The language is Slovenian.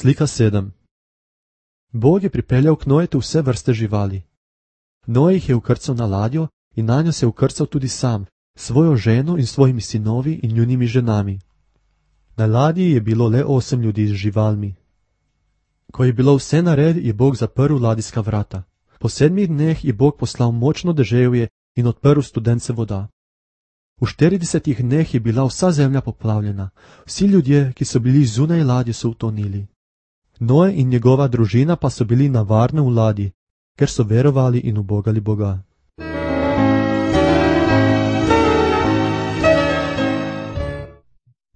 Slika 7. Bog je pripeljal k Noetu vse vrste živali. Noe jih je ukrcal na ladjo in na njo se je ukrcal tudi sam, svojo ženo in svojimi sinovi in njunimi ženami. Na ladji je bilo le 8 ljudi z živalmi. Ko je bilo vse nared, je Bog zaprl ladijska vrata. Po 7 dneh je Bog poslal močno deževje in odprl studence voda. V 40 dneh je bila vsa zemlja poplavljena, vsi ljudje, ki so bili zunaj ladje, so utonili. Noe in njegova družina pa so bili na varnem v ladji, ker so verovali in ubogali Boga.